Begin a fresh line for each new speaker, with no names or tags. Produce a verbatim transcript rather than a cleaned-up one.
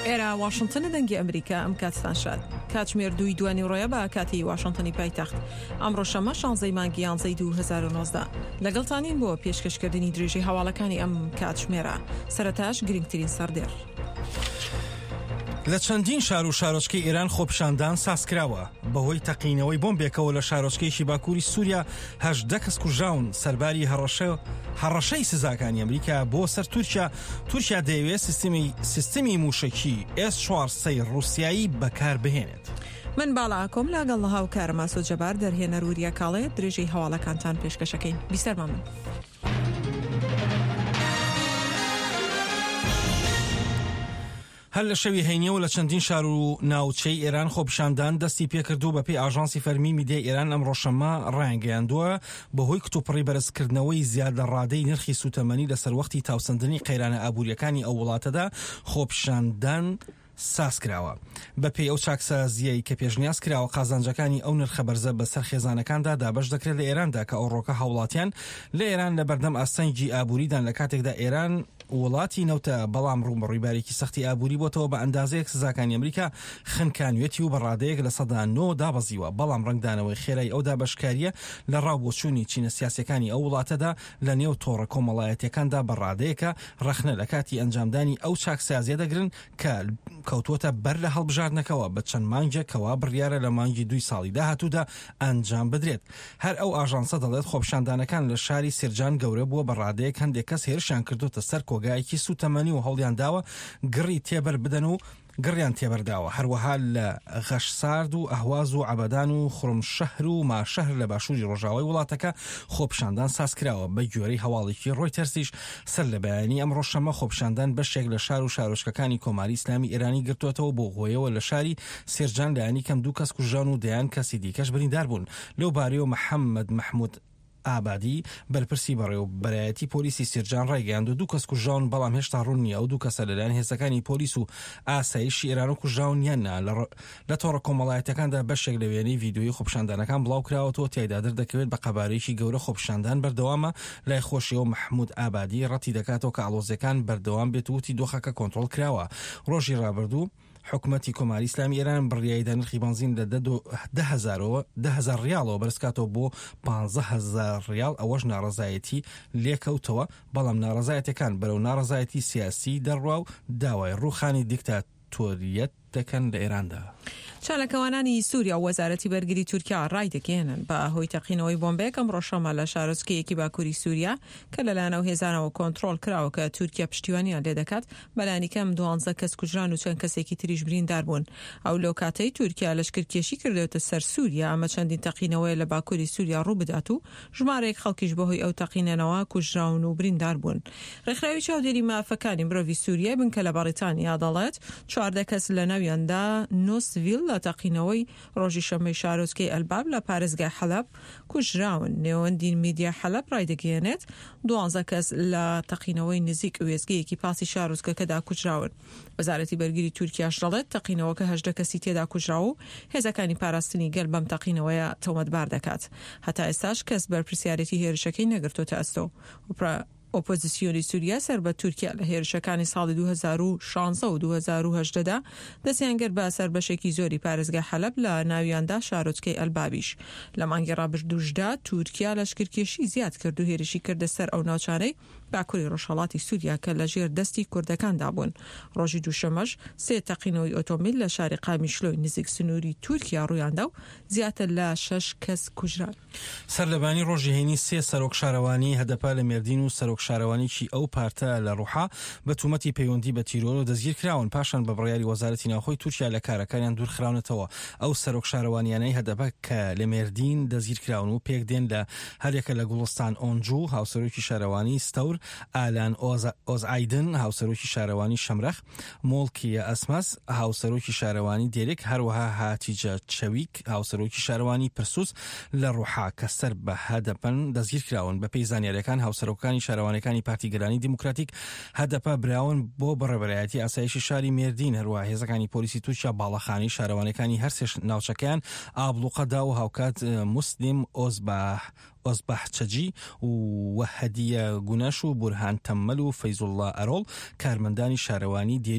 ئێرە واشنتنە، دەنگی ئەمریکا. ئەم کاتتان شاد. کاتژمێر دووی دوانی ڕۆیە بە کاتی واشنتنی پایتەخت. ئەمڕۆ شەممە شانزەی مانگی یانزەی دوو هەزار و نۆزدە. لەگەڵتانین بۆ پێشکەشکردنی درێژەی هەواڵەکانی ئەم کاتژمێرە. سەرەتاش گرنگترین سەردێڕ.
لە چەندین شار و شارۆچکەی ئێران خۆپیشاندان سازکراوە. بەهۆی تەقینەوەی بۆمبێکەوە لە شارۆچکەیەکی باکووری سووریا هەژدە کەس کوژراون. سەرباری هەڕەشەی سزاکانی ئەمریکا بۆ سەر تورکیا، تورکیا دەیەوێت سیستمی سیستمی موشەکی ئێس چوار سەی ڕووسیایی بەکار بهێنێت.
من باڵا ئاکۆم لەگەڵ هاوکارم ئاسۆ جەبار، دەرهێنەر وریا کاڵێ، درێژەی هەواڵەکانتان پێشکەشەکەین. بیسەرمان بن.
هەر لە شەوی هەینیەوە لە چەندین شار و ناوچەی ئێران خۆپیشاندان دەستی پێکرد و بەپێی ئاژانسی فەرمی میدیای ئێران ئەمڕۆ شەممە ڕایانگەیاندووە بەهۆی کتوپڕی بەرزکردنەوەی زیاد لە ڕادەی نرخی سوتەمەنی لە سەروەختی تاوسەندنی قەیرانە ئابووریەکانی ئەو وڵاتەدا خۆپیشاندان ساز کراوە. بەپێی ئەو چاکسازیەی کە پێشنیاز کراوە قازانجەکانی ئەو نرخە بەرزە بەسەر خێزانەکاندا دابەش دەکرێت لە ئێراندا کە ئەوڕۆکە هاوڵاتیان لە ئێران لە بەردەم ئاستەنگی ئابووریدان لە کاتێکدا ئێران وڵاتی نەوتە بەڵام ڕووبەڕووی بارێکی سەختی ئابووری بۆتەوە بە ئەندازەیەک سزاکانی ئەمریکا خنکانوێتی و بە ڕادەیەک لە سەدا نۆ دابەزیوە، بەڵام ڕەنگدانەوەی خێرای ئەو دابەشکاریە لە ڕاو بۆچوونی چینە سیاسیەکانی ئەو وڵاتەدا لە نێو تۆڕە کۆمەڵایەتیەکاندا بە ڕادەیەکە ڕەخنە لە کاتی ئەنجامدانی ئەو چاکسازیە دەگرن کە کەوتووەتە بەر لە هەڵبژاردنەکەوە بە چەند مانگێکەوە بڕیارە لە مانگی دوی ساڵی داهاتوودا ئەنجام بدرێت. هەر ئەو ئاژانسە دەڵێت خۆپیشاندانەکان لە شاری سێرجان گەورە بووە بە ڕادەیەک هەندێک کەس هێرشیان کردوتە سەر کۆگایەکی سوتەمەنی و هەوڵیان داوە گڕی تێبەر بدەن و گڕیان تێبەرداوە. هەروەها لە غەشسارد و ئەهواز و عەبەدان و خورمشەهر و ماشەهر لە باشووری ڕۆژاوای وڵاتەکە خۆپیشاندان ساز کراوە. بە گوێرەی هەواڵێکی ڕۆیتەرسیش سەر لە بەیانی ئەمڕۆ شەممە خۆپیشاندان بەشێک لە شار و شارۆچکەکانی کۆماری ئیسلامی ئێرانی گرتووەتەوە بۆ هۆیەوە لە شاری سێرجان لایەنی کەم دوو کەس کوژران و دەیان کەسی دیکەش بریندار بوون. لەو بارەیەوە محەممەد مەحموود ئابادی بەرپرسی بەڕێوەبەرایەتی پۆلیسی سێرجان ڕایگەیاند و دوو کەس کوژراون، بەڵام هێشتا ڕوون نییە ئەو دوو کەسە لەلایەن هێزەکانی پۆلیس و ئاسایشی ئێران و کوژراون یان نا. لە تۆڕە کۆمەڵایەتیەکاندا بەشێک لە وێنەی ڤیدیۆیی خۆپیشاندانەکان بڵاو کراوەتەوە، تیایدا دەردەکەوێت بە قەبارەیەکی گەورە خۆپیشاندان بەردەوامە. لای خۆشیەوە محمود ئابادی ڕەتی دەکاتەوە کە ئاڵۆزیەکان بەردەوام بێت و وتی دۆخەکە کۆنترۆڵ کراوە. ڕۆژی ڕابردوو حکومەتی کۆماری ئیسلامی ئێران بڕیایدا نرخی بەنزین لە دە هەزار ڕیاڵەوە بەرزکاتەوە بۆ پانزە هەزار ڕیاڵ، ئەوەش ناڕەزایەتی لێکەوتەوە، بەڵام ناڕەزایەتەکان بەرەو ناڕەزایەتی سیاسی دەڕوا و داوای ڕووخانی دیکتاتۆریەت دەکەن لە ئێراندا.
چالاکوانانی سووریا و وەزارەتی بەرگری تورکیا ڕایدەگەیەنن بە هۆی تەقینەوەی بۆمبێک ئەمڕۆ شەممە لە شارۆچکەیەکی باکووری سووریا کە لەلایەن ئەو هێزانەوە کۆنترۆڵ کراوە کە تورکیا پشتیوانیان لێدەکات، بەلانی کەم دوانزە کەس کوژران و چەند کەسێکی تریش بریندار بوون. ئەو لەو کاتەی تورکیا لەشکرکێشی کردوێتە سەر سووریا ئەمە چەندین تەقینەوەیە لە باکووری سووریا ڕوو بدات و ژمارەیەک خەڵکیش بەهۆی ئەو تەقینەنەوە کوژراون و بریندار بوون. ڕێکخراوی چاودێری مافەکانی مرۆڤی سووریای بنکە لە بەریتانیا دەڵێت چواردە کەس لە ناویاندا نۆ سڤیل لە تەقینەوەی ڕۆژی شەممەی شارۆچکەی ئەلباب لە پارێزگای حەلەب کوژراون. نێوەندی میدیا حەلەب ڕایدەگەیەنێت دوانزە کەس لە تەقینەوەی نزیک وێستگەیەکی پاسی شارۆچکەکەدا کوژراون. وەزارەتی بەرگری تورکیاش دەڵێت تەقینەوەکە هەژدە کەسی تێدا کوژراوە و هێزەکانی پاراستنی گەل بەم تەقینەوەیە تۆمەتبار دەکات. هەتا ئێستاش کەس بەرپرسیارێتی هێرشەکەی نەگرتۆتە ئەستۆ. ئۆپۆزیسیۆنی سووریا سەر بە تورکیا لە هێرشەکانی ساڵی دوو هەزار و شانزە و دوو هەزار و هەژدە دا دەستیان گرت بە سەر بەشێکی زۆری پارێزگای حەلەب لە ناویاندا شارۆچکەی ئەلبابیش. لە مانگی ڕابردووشدا تورکیا لەشکرکێشی زیاد کرد و هێرشی کردە سەر ئەو ناوچانەی باکووری ڕۆژهەڵاتی سووریا کە لە ژێر دەستی کوردەکاندا بوون. ڕۆژی دووشەمەش سێ تەقینەوەی ئۆتۆمبیل لە شاری قامیشلۆی نزیک سنووری تورکیا ڕوویاندا و زیاتر لە شەش کەس کوژران.
سەرلەبانی ڕۆژی هەینی سێ سەرۆک شارەوانی هەدەپە لە مێردین و سەرۆک شارەوانیکی ئەو پارتە لە ڕوحا بە تومەتی پەیوەندی بە تیرۆر و دەستگیر کراون، پاشان بە بڕیاری وەزارەتی ناوخۆی تورکیا لە کارەکانیان دوورخراونەتەوە. ئەو سەرۆک شارەوانیانەی هەدەپە کە لە مێردین دەستگیر کراون و پێک دێن لە هەریەکە لە گوڵستان ئۆنجو هاوسەرۆکی شارەوانی ستەور، ئالان ئۆزئایدن هاوسەرۆکی شارەوانی شەمرەخ، مۆڵکیە ئەسمەس هاوسەرۆکی شارەوانی دێرک، هەروەها هاتیجە چەویک هاوسەرۆکی شارەوانی پرسوس لە ڕوحا کە سەر بە هەدەپەن دەستگیر کراون. بەپێی زانیاریەکان هاوسەرۆکانی شارەوانەکانی پارتی گەلانی دیموکراتیک هەدەپە براون بۆ بەڕێوەبەرایەتی ئاسایشی شاری مێردین. هەروەها هێزەکانی پۆلیسی تورکیا باڵەخانەی شارەوانەکانی هەر سێ ناوچەکەیان ئابڵوقەدا و هاوکات موسلیم ئۆزباح ئۆزباحچەجی و هەدیە گونەش و بورهان تەممەل و فەیزوڵڵا ئەرۆڵ کارمەندانی شارەوانی دێری